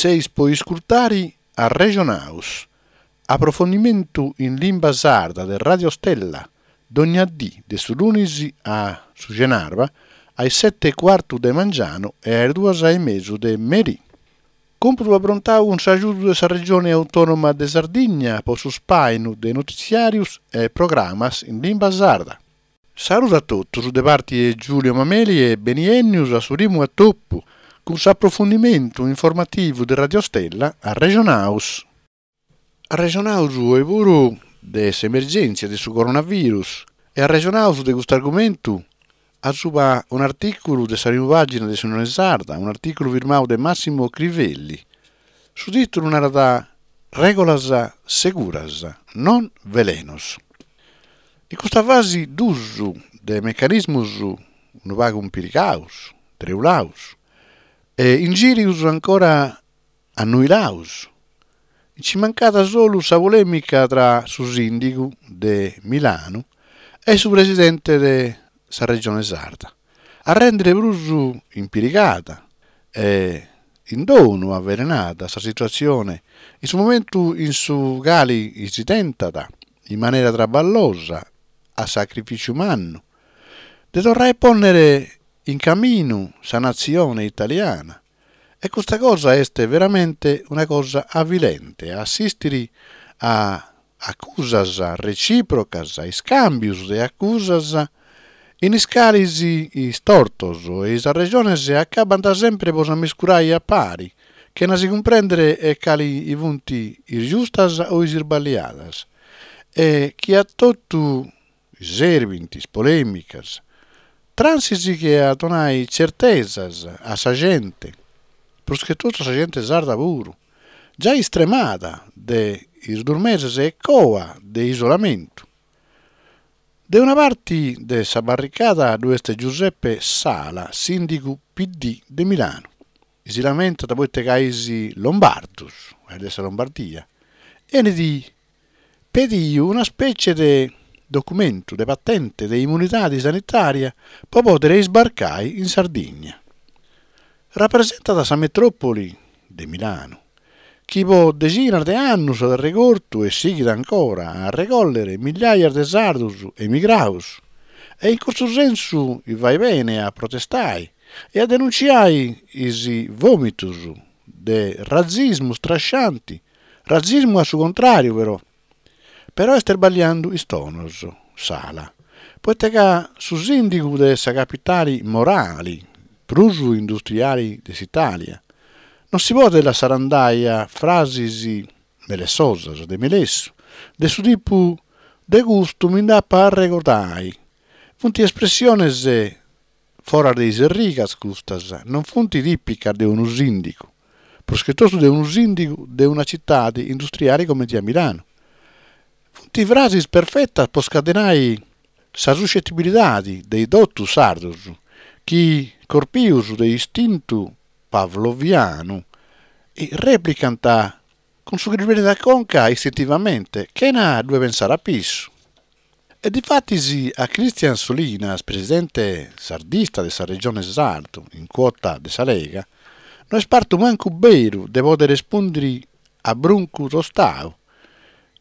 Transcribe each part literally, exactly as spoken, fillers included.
Seis po iscurtare Arrejonaus, aprofundimentu in limba sarda de Radio Stella, dogna die de su lunis a su chenàbura a is sete e cuartu de mangianu e a is duas e mesu de merie. Còmpudu aprontadu cun s'agiudu de sa Regione Autònoma de Sardigna pro su ispàinu de notitziàrios e programmas in limba sarda. Saludu a totus de parte de Giulio Mameli e beniènnidos a su primu atopu cun s'aprofundimentu informativu de Radio Stella Arrejonaus. Arrejonaus oe puru de s'emergèntzia de su coronavirus e arrejonaus de custu argumentu a subra un'artìculu de sa prima pàgina de s'Unione Sarda, un'artìculu firmadu de Massimo Crivelli. Su tìtulu narat Règulas seguras, non velenos. In custa fase duos de mecanismos unu pagu impirigados, treulados, e ingìrios ancora annuilados. Nci mancat solu sa polèmica tra su sìndigu de Milanu e su presidente de sa Regione Sarda, a rèndere prus impirigada e in donu avelenada sa situatzione in su momentu in su cale si tentat, in manera traballosa, a sacrifìtziu mannu, de torrare a pònnere in caminu sa natzione italiana. E custa cosa est veramente una cosa avilente, a assìstere a acusas recìprocas, iscàmbios de acusas in is cales is tortos e is arrejones acabant semper pro s'ammiscurare a pare, chena si cumprèndere e cale funt is giustas o is isballiadas, e chi a totu serbint is polèmicas, transis chi a donare tzertesas a sa gente, prus che totu a sa gente sarda puru, giai istremada de is duos meses e coa de isolamentu. De una parte de sa barricada ddo'est Giuseppe Sala, sìndigu P D de Milanu. Si lamentat proite ca is lombardos, de sa Lombardia, enit pedidu una spècie de documentu, de patente de immunidade sanitària pro pòdere isbarcare in Sardigna. Rapresentat sa metròpoli de Milanu, chi pro deghinas de annos at regortu e sighit ancora a regòllere migliaia de sardos emigrados, e in custu sensu faghet bene a protestare e a denuntziare is vòmitos de ratzismu strasciante, ratzismu a su contràriu però. Però est isballiende is tonos, Sala, proite ca su sìndigu de sa capitale morale, prus industriale de s'Itàlia, non si podet lassare andare a frases melessosas, de melessu, de su tipu de custu mi nd'apo a regordare. Sunt espressiones foras de is rigas custas, non sunt tìpicas de unu sìndigu, prus che totu de unu sìndigu de una tzitade industriale comente a Milanu. Sunt frases perfetas pro scadenare sa suscetibilidade de totu is sardos, chi, corpidos de istintu pavlovianu, rèplicant cun su chi ddis benit a conca istintivamente, chena ddoe pensare a pissu. E difatis a Christian Solinas, presidente sardista de sa Regione Sardu, in cuota de sa Lega, no est partu mancu beru de pòdere rispòndere a bruncu tostadu,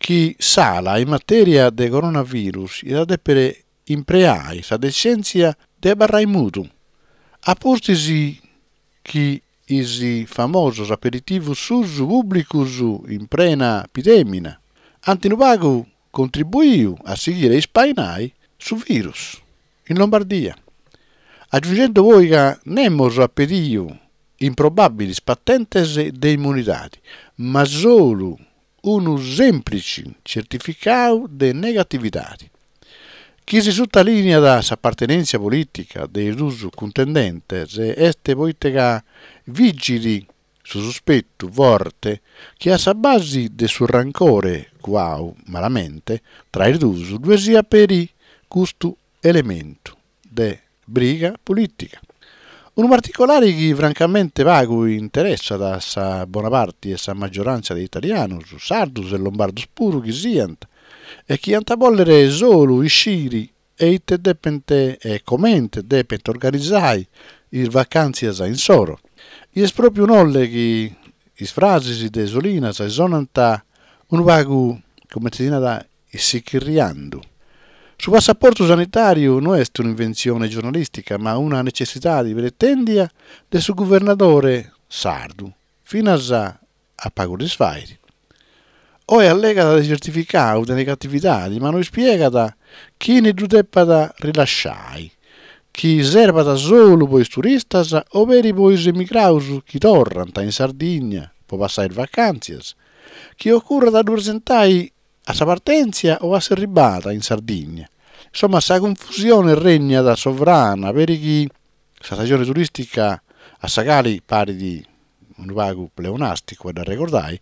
chi Sala in matèria de coronavirus diat dèpere impreare sa detzèntzia de abarrare mudu, a pustis chi is famosos aperitivos suos pùblicos in prena epidemia ant unu pagu contribuidu a sighire a ispainare su virus in Lombardia. Agiunghende poi ca nemos at pedidu improbàbiles patentes de immunidade, ma solu unu sèmplitze tzertificadu de negatividade. Chi si sutalìniat s'apartenèntzia polìtica de is duos cuntendentes est proite ca vigit su suspetu forte chi a sa base de su rancore cuadu malamente tra is duos ddoe siat peri custu elementu de briga polìtica. Unu particulare chi francamente pagu interessat a sa bona parte e sa magioràntzia de italianos, sardos e lombardos puru chi siant, e chi ant a bòlere solu ischire e ite depent e comente depent organizare is vacàntzias issoro. E est pròpiu nolle chi Is frasis de Solinas sonant unu pagu, comente si narat, tzichirriende. Su passaportu sanitàriu no est un'inventzione giornalìstica ma una netzessidade pretèndida dae su guvernadore sardu, finas a pagu dies faghet. Oe allegat de tzertificadu de negatividade ma no ispiegat chie ddu depat rilasciare, chi servat solu pro sos turistas o peri pro sos emigrados chi torrant in Sardigna pro passare sas vacàntzias, chi ocurrat a ddu presentare a sa partèntzia o a s'arribada in Sardigna. Insomma, sa confusione regnat sovrana peri chi sa istajone turìstica a sa cale paret unu pagu pleonàsticu a dd'arregordare,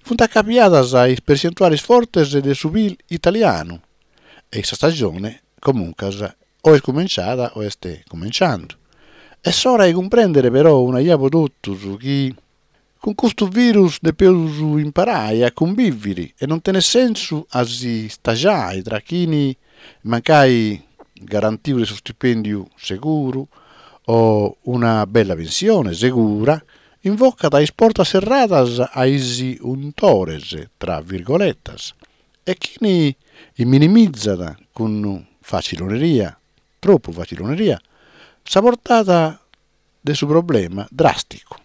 sunt acapiadas is pertzentuales fortes de su P I L italianu e sa istajone, comuncas, o est cumintzada o est cumintzende. Est s'ora de cumprèndere però una bia pro totus chi cun custu virus depimus imparare a cunvìvere e non tenet sensu a si istagiare tra chie, mancari garantidu de su istipèndiu seguru o una bella pensione segura, invocat is portas serradas a is untores, tra virgoletas, e chie minimizat cun faciloneria, tropu faciloneria, sa portada de su problema dràsticu.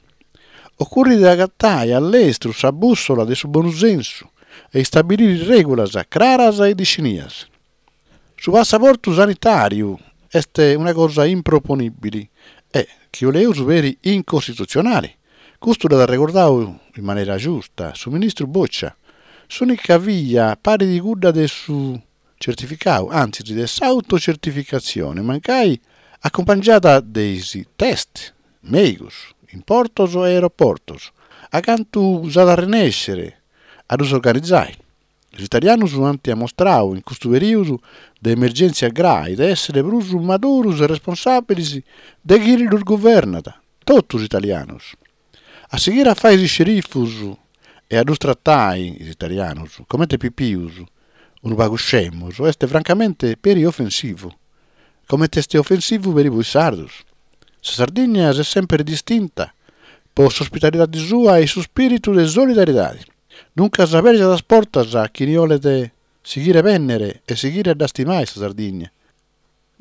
Ocurret de agatare a lestru sa bùssola de su bonu sensu e istabilire règulas craras e definidas. Su passaportu sanitàriu est una cosa improponìbile e, chi cherimus, peri incostitutzionale. Custu l'at regordadu in manera giusta su ministru Boccia. S'ùnica via paret cudda de su tzertificadu, antzis de s'autotzertificatzione, mancari acumpangiada dae is test mèigos in portos e aeroportos, a cantu s'at a renèssere a ddos organizare. Is italianos ant ammustradu in custu perìodu de emergèntzia grae de èssere prus maduros e responsàbiles de chie los guvernat, totus is italianos. A sighire a fàghere is scerifos e a ddos tratare, is italianos, comente pipios, unu pagu iscemos, est francamente peri ofensivu. Comente est ofensivu peri pro is sardos. Sa Sardigna s'est semper distinta pro s'ospitalidade sua e su ispìritu de solidariedade. Duncas abèrgiat sas portas a chie bolet sighire a bènnere e sighire a dd'istimare sa Sardigna.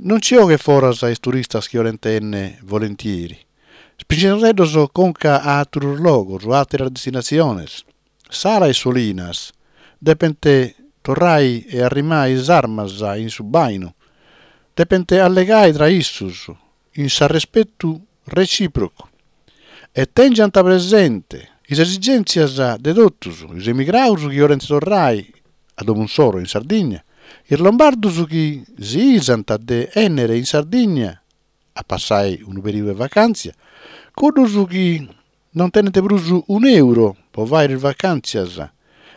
Non nche boghet foras is turistas chi bolent bènnere volentieri, ispinghende·ddos conca a àteros logos, a àteras destinatziones. Sala e Solinas depent torrare a arrimare is armas in su bàinu, depent allegare tra issos, in s'arrespetu retzìprocu. E tèngiant presente is esigèntzias de totus, is emigrados chi bolent torrare a domo issoro in Sardigna, is lombardos chi si isant de bènnere in Sardigna a passare unu perìodu de vacàntzia, cuddos chi non tenent prus un'èuro pro fàghere is vacàntzias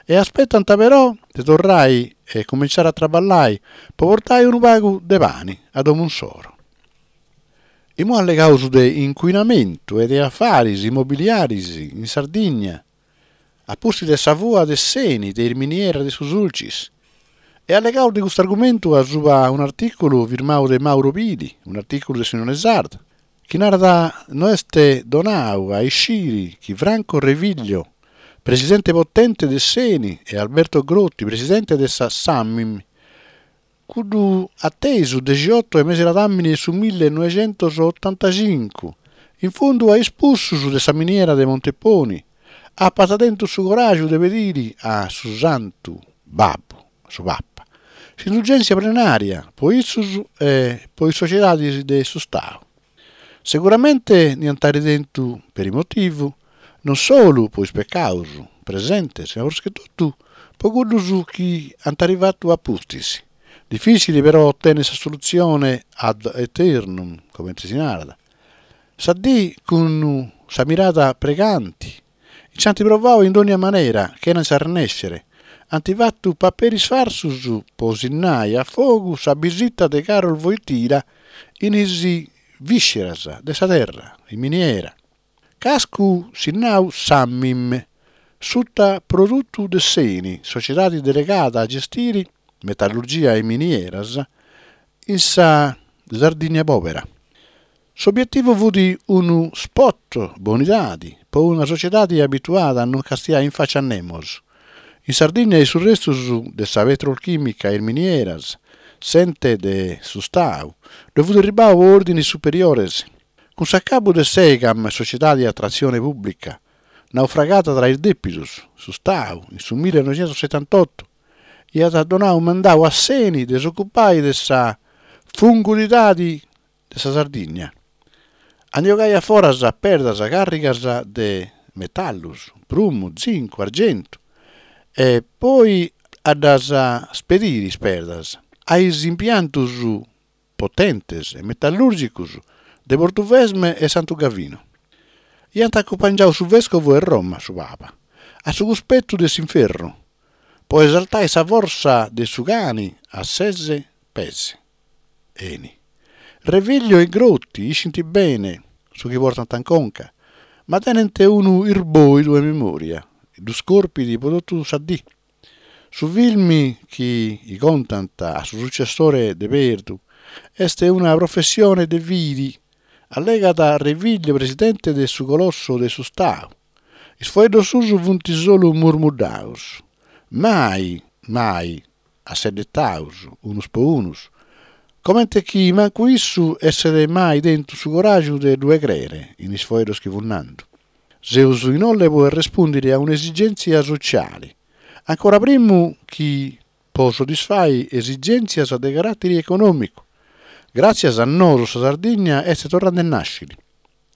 e aspetant però de torrare e cumintzare a traballare pro portare unu pagu de pane a domo issoro. Como allegamus de incuinamentu e de afares immobiliares in Sardigna, a pustis de sa fua de s'Eni de is minieras de su Sulcis. E allegamus de custu argumentu a subra un'artìculu firmadu de Mauro Pili, un'artìculu de s'Unione Sarda, chi narat no est donadu a ischire chi Franco Reviglio, presidente potente de s'Eni, e Alberto Grotti, presidente de sa Samim, cuddu a tesu degheoto de mese ladàmene de su millenoighentosotantacincu, in fundu a is putzus de sa miniera de Monteponi, apant tentu su coràgiu de pedire a su Santu Babbu, a su Papa, s'indulgèntzia plenària pro issos e pro is sotziedades de s'Istadu. Seguramente diant àere tentu peri motivu, non solu pro is pecados presentes, ma prus che totu pro cuddos chi ant àere fatu a pustis. Difìtzile però otènnere s'assolutzione ad aeternum, comente si narat. Sa die, cun sa mirada pregante, nch'ant provadu in ogna manera, chena nch'arrenèssere. Ant fatu paperis farsos pro sinnare a fogu sa bìsita de Karol Wojtyla in is vìsceras de sa terra, in miniera. Cascu sinnadu Samim, sutaprodutu de s'Eni, sotziedade delegada a gestire metallurgia e minieras in sa Sardigna pòbera. S'obietivu fiat unu spot bonidade po una sotziedade abituada a non castiare in facia a nemos. In Sardigna is restos de sa petrolchìmica e is minieras, s'ente de s'Istadu, ddoe fiat arribadu pro òrdines superiores. Cun s'acabbu de s'Egam, sotziedade a tratzione pùblica, naufragada tra is dèpidos, s'Istadu, in su millenoighentosetantoto, aiat donadu mandadu a s'Eni de s'ocupare de sa fungudidade de sa Sardigna. A nde bogare a foras perdas càrrigas de metallos, prumu, zincu, arghentu, e poi a ddas ispedire is perdas a is impiantos potentes e metallùrgicos de Portovesme e Santu Gavinu. Aiant acumpangiadu su vèscovu de Roma, su Papa, a su cuspetu de s'inferru, pro esaltare sa fortza de su cane a ses pees. Eni. Reviglio e Grotti ischint bene su chi portant in conca, ma tenent unu isbòidu de memòria chi ddos corpit pro totu sa die. Su film chi contant a su sutzessore de Perdu est una professione de fide, allegat Reviglio presidente de su colosso de s'Istadu. Is faeddos suos sunt solu murmuddados, mai, mai asseddetados unos pro unos, comente chi mancu issu esseret mai tentu su coràgiu de ddoe crèere in is faeddos chi fiat nende. Semus inoghe pro rispòndere a un'esigèntzia sotziale, ancora prima chi pro soddisfare esigèntzias de caràtere econòmicu. Gràtzias a nois sa Sardigna est torrende a nàschere.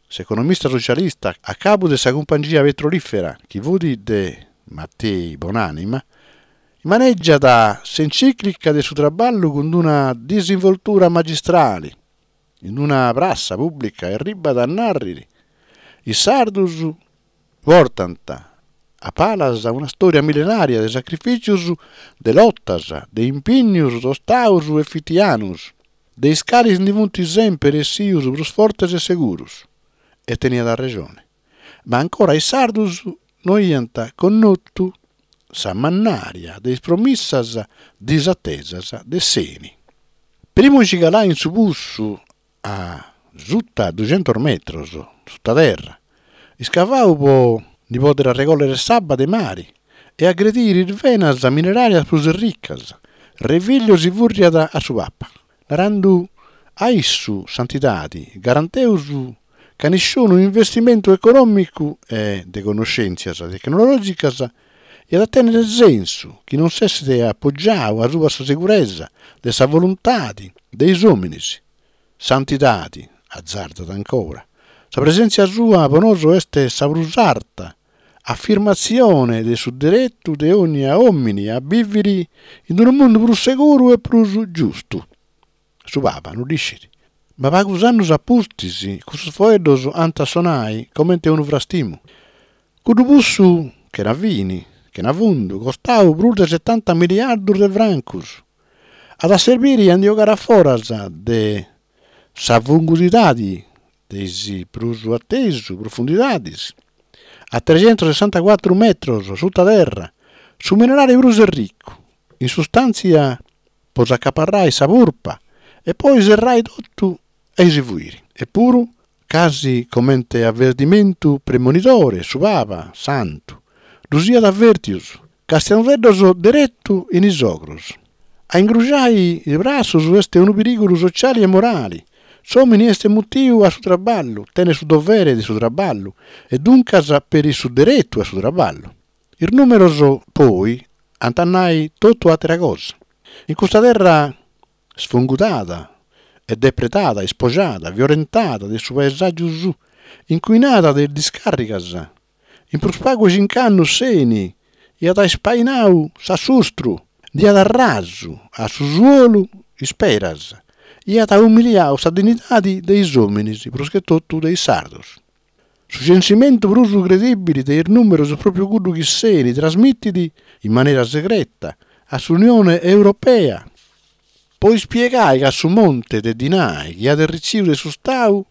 S'economista sotzialista a cabu de sa cumpangia petrolìfera, chi fiat de Mattei bonànima, manìgiat s'entzìclica de su traballu cun una disinvoltura magistrale. In una pratza pùblica arribat a nàrrere «Is sardos portant a palas una istòria millenària de sacrifìtzios, de lotas, de impignos tostados e fitianos, de is cales nde sunt semper essidos prus fortes e seguros». E teniat resone. Ma ancora is sardos no aiant connotu sa mannària de is promissas disatesas de s'Eni. Primu de nche calare in su putzu a suta dughentos metros, suta terra, iscavadu pro nde pòdere regòllere s'abba de mare e agredire is venas mineràrias prus ricas, Reviglio si fùrriat a su Papa, narende a issu Santidade garanteus ca nisciunu investimentu econòmicu e de connoschèntzias tecnològicas at a tènnere sensu chi non s'esseret apogiadu a subra sa seguresa de sa voluntade de is òmines. Santidade, azardat ancora, sa presèntzia sua pro nois est sa prus arta afirmatzione de su deretu de ogna òmine a bìvere in unu mundu prus seguru e prus giustu. Su Papa no dd'ischit. Ma pagos annos a pustis cussos faeddos ant a sonare comente unu frastimu. Cuddu putzu chena fine, chena fundu, costadu prus de setanta milliardos de francos, at a serbire a nde bogare a foras de sa fungudidade de is prus a tesu profundidades, a tregentosessantacuatro metros suta terra, su minerale prus ricu, in sustàntzia pro s'acaparrare sa purpa e poi serrare totu e si fuire. Epuru, casi comente avertimentu premonitore, su Papa, santu, ddos aiat avèrtidos, castiende·ddos deretu in is ogros. A ingrugiare is bratzos est unu perìgulu sotziale e morale. S'òmine est mutidu a su traballu, tenet su dovere de su traballu e duncas peri su deretu a su traballu. Is nùmeros, poi, ant a nàrrere totu àtera cosa. In custa terra sfungudada e depredada, ispogiada, violentada de su paesàgiu suo, incuinada de is discàrrigas, in prus pagu de chimbe annos s'Eni aiat ispainadu s'assustru, nd'aiat rasu a su suolu isperas, aiat umiliadu sa dignidade de is òmines, prus che totu de is sardos. Su censimentu prus credìbile de is nùmeros est pròpiu cuddu chi s'Eni trasmitit in manera segreta a s'Unione Europea pro ispiegare ca su monte de dinare chi at retzidu de s'Istadu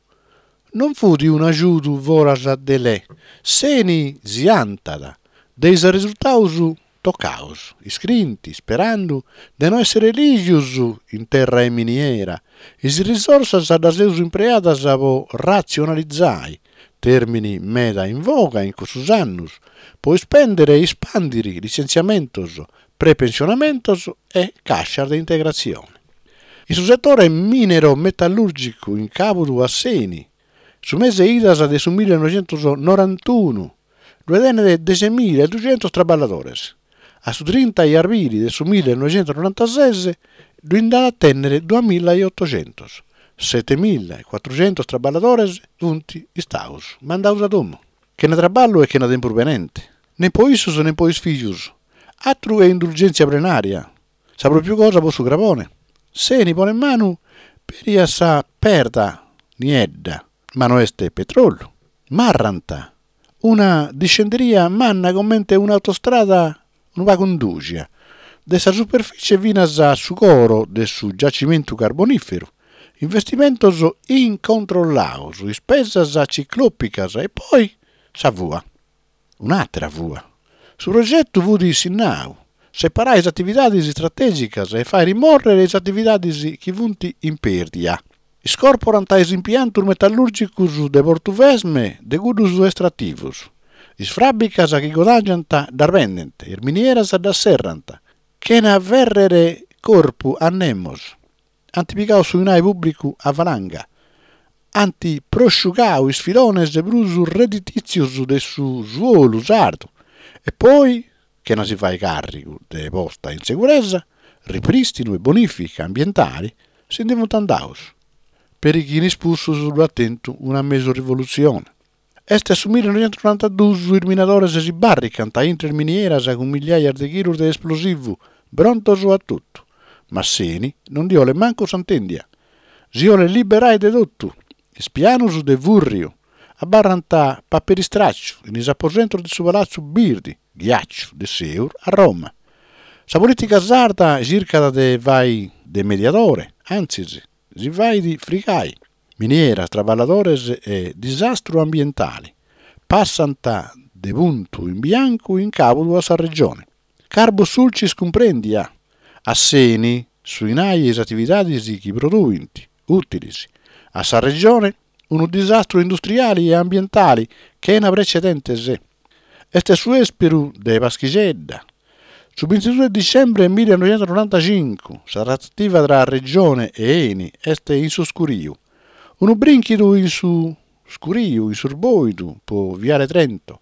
non fiat un'agiudu foras de lege. S'Eni si bantat de is resurtados tocados, iscrient, isperende de no èssere lìgidos in terra de miniera, is risorsas ddas amus impreadas pro ratzionalizare, tèrmini meda in voga in cussos annos, pro ispèndere e ispàndere litzentziamentos, pre-pensionamentos e càscias de integratzione. In su setore minero-metallùrgicu in càbudu a s'Eni, su mese de idas de su millenoighentos norantunu ddoe tenet deghe mila e dughentos traballadores. A su trinta de abrile de su millenoighentos norantases ddoe nd'at a tènnere duamìgia e otoghentos. Sete mìgia e cuatrughentos traballadores sunt istados mandados a domo. Chena traballu e chena tempus benente. Nen pro issos nen pro is fìgios. Àteru che indulgèntzia plenària. Sa pròpiu cosa pro su crabone. S'Eni ponet manu peri a sa perda niedda, ma no est petròliu. Marrant una discenderia manna comente un'autostrada unu pagu indùgia, dae sa superfìtzie finas a su coro de su giacimentu carbonìferu, investimentos incontrollados, ispesas tziclòpicas e poi sa fua. Un'àtera fua. Su progetu fiat sinnadu: separare is atividades istratègicas e fàghere mòrrere is atividades chi sunt in pèrdida. Iscorporant is impiantos metallùrgicos de Portovesme de cuddos estrativos. Is fàbricas chi guadàngiant ddas bendent, is minieras ddas serrant, chena fèrrere corpu a nemos. Ant pigadu su dinare pùblicu a valanga. Ant prosciugadu is filones prus redditìtzios de su suolu sardu e poi, chena si fàghere càrrigu de posta in seguresa, riprìstinu e bonìfica ambientale, si nde sunt andados. Peri chi in is putsos ddo'at tentu una mesu rivolutzione. Est su millenoighentos norantaduos, is minadores si bàrricant intre is minieras cun miàrias de chilos de esplosivu, prontos a totu. Ma s'Eni non nde bolet mancu s'intèndia. Si bolet liberare de totu. Is pianos de fùrriu abarrant paperi istràtziu in is aposentos de su Palatzu Birde, ghiàtzu de s'èuro a Roma. Sa polìtica sarda chircat de fàghere de mediadore, antzis, si faghet frigare. Minieras, traballadores e disastru ambientale passant de puntu in biancu in càbudu a sa Regione. Carbo Sulcis cumprèndia. A s'Eni, su dinare e is atividades chi produint, ùtiles. A sa Regione, unu disastru industriale e ambientale chena pretzedentes. Est su èsperu de Paschixedda. Su bintiduos de dicembre millenoighentos norantacinco, sa tratativa tra Regione e Eni est in s'iscuriu. Unu brìnchidu in su iscuriu, in su bòidu, pro Viale Trento.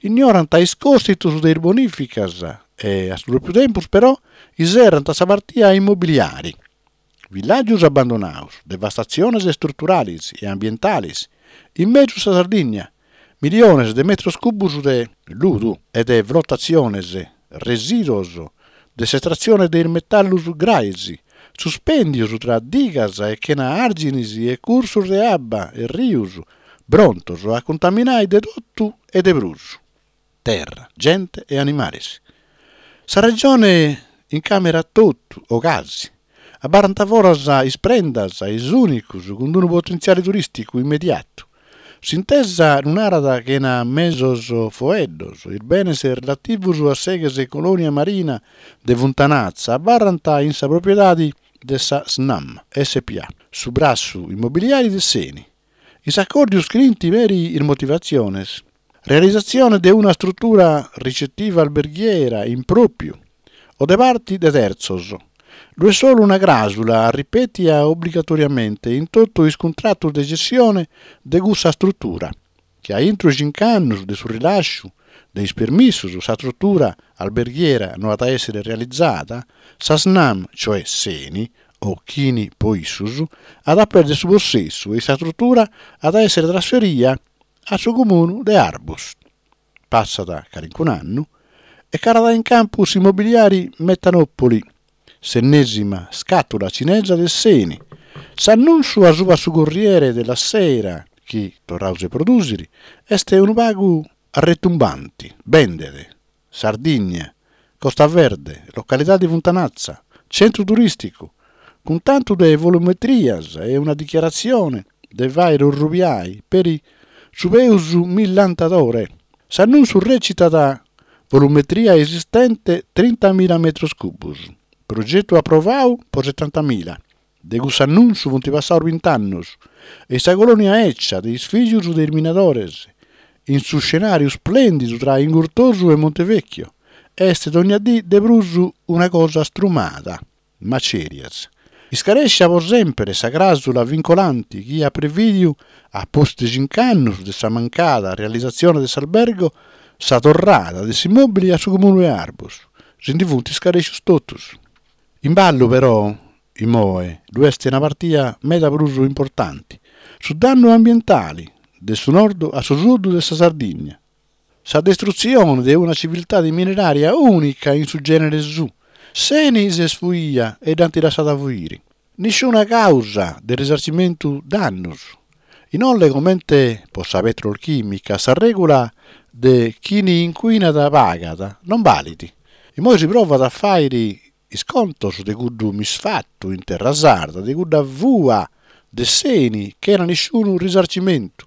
Ignorant is còstitos de is bonìficas e, a su pròpiu tempus, però, isserrant sa partida immobiliare. Villàgios abbandonados, devastatziones istruturales e ambientales in mesu sa Sardigna, milliones de metros cubos de ludu e de flotatziones, resìduos de s'estratzione de is metallos graes, suspèndidos tra digas e chena àrgines e cursos de abba e rios, prontos a contaminare de totu e de prus. Terra, gente e animales. Sa Regione incàmerat totu, o casi. Abarrant foras is prendas, is ùnicos cun unu potentziale turìsticu immediatu. S'intesa lu narat chena mesos faeddos, is benes relativos a s'ex colònia marina de Funtanatza abarrant in sa propiedade de sa Snam S P A, su bratzu immobiliare de s'Eni. In s'acòrdiu iscrient peri is motivatziones. Realizatzione de una istrutura ricettiva alberghiera in pròpiu o de parte de tertzos. Ddo'est solu una cràusola ripètida obligatoriamente in totu is cuntratos de tzessione de cussa istrutura, chi a intro chimbe annos de su rilàsciu de is permissos sa istrutura alberghiera no at a èssere realizada, sa Snam, cioè s'Eni, o chine pro issos, at a pèrdere su possessu e sa istrutura at a èssere trasferida a su Comune de Arbus. Passat calicun'annu e calat in campu s'immobiliare Metanopoli, s'ennèsima scatola tzinesa de s'Eni. S'annùntziu a subra su Corriere della Sera, chi torramus a prodùsere, est unu pagu arretumbante. Bendet. Sardigna, Costa Verde, localidade Funtanatza, tzentru turìsticu, cun tantu de volumetrias e una dichiaratzione de fàghere orrubiare peri su peus millantadore. S'annùntziu rètzitat volumetria esistente trinta mìgia metros cubos, progetu aprovadu pro setanta mìgia. De cuss'annuntzu funt passados bint'annos e sa colònia 'etza de is fìgios de is minadores, in su scenàriu isplèndidu tra Ingurtosu e Montevecchio, est dònnia die de prus una cosa astrumada, macèrias. Iscarèschida pro semper sa cràusola vincolante chi at prevìdidu, a pustis de chimbe annos de sa mancada realizatzione de s'albergo, sa torrada de s'immòbile a su Comune de Arbus. Si nde sunt iscarèssidos totus. In ballu, però, immoe ddo'est una partida meda prus importante: su dannu ambientale, de su nord a su sud de sa Sardigna. Sa distrutzione de una tziviltade minerària ùnica in su gènere suo. S'Eni s'est fuida e dd'ant lassada fuire. Nissuna càusa de risartzimentu dannos. Inoghe, comente pro sa petrolchìmica, sa règula de chie incuinat pagat non balet. Immoe si provat a fàghere is contos de cuddu misfatu in terra sarda, de cudda fua de s'Eni sena nissunu risartzimentu.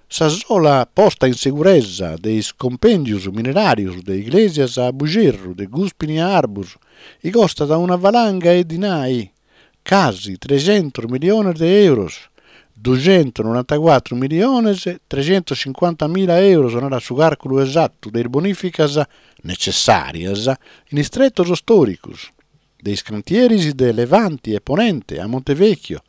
Sa sola posta in seguresa de is cumpèndios mineràrios de Iglesias a Buggerru, de Gùspini a Arbus, chi costat una valanga de dinari, casi treghentos milliones de èuros, dughentosnorantacuatro milliones treghentoschimbanta mila èuros narat su càrculu esatu de is bonìficas netzessàrias in is tretos istòricos, de is cantieris de Levante e Ponente a Montevecchio,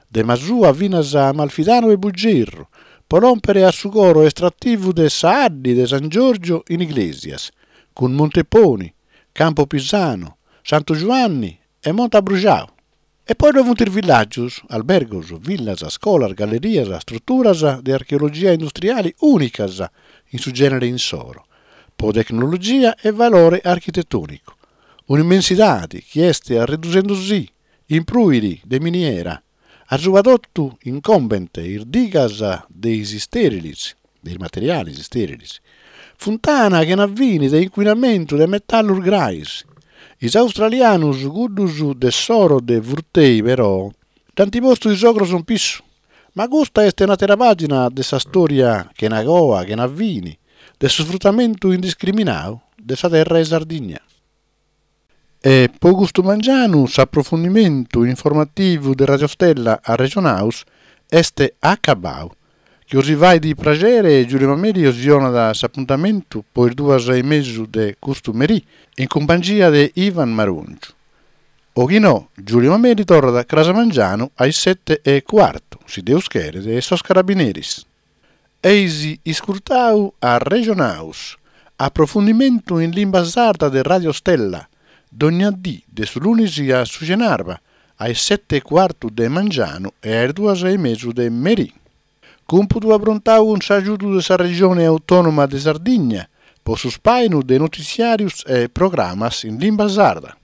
de Masua finas a Amalfitano e Buggerru, pro lòmpere a su coro estrativu de sa 'Adde de San Giorgio in Iglesias, cun Monteponi, Campo Pisano, Santu Giuanne e Monte Abbruxadu. E poi ddoe sunt is villàgios, albergos, villas, iscolas, gallerias, istruturas de archeologia industriale ùnicas in su gènere issoro, pro tecnologia e valore architetònicu. Un'immensidade chi est reduende si in prùere de miniera. A subra totu incumbent is digas de is istèriles, de is materiales istèriles, funtana sena fine de incuinamentu de metallos graes. Is australianos, cuddos de s'oro de Furtei, però, dd'ant postu is ogros in pissu. Ma custa est un'àtera pàgina de sa istòria sena coa, sena fine, de s'isfrutamentu indiscriminadu de sa terra de Sardigna. E pro custu mangianu s'aprofundimentu informativu de Radio Stella Arrejonaus est acabadu. Chi bos faghet praghere Giulio Mameli bos donat s'apuntamentu pro is duas e mesu de custu merì in cumpangia de Ivan Marongiu. O chi no, Giulio Mameli torrat cras mangianu a is sete e cuartu, si Deus cheret e sos carabineris. Eis iscurtadu Arrejonaus, aprofundimentu in limba sarda de Radio Stella, dogna die de su lunis a su chenarba, a is sete e cuartu de mangianu e a is duas e mesu de merì. Cumpudu aprontadu cun s'agiudu de sa Regione Autònoma de Sardigna pro su ispàinu de notitziàrios e programmas in limba sarda.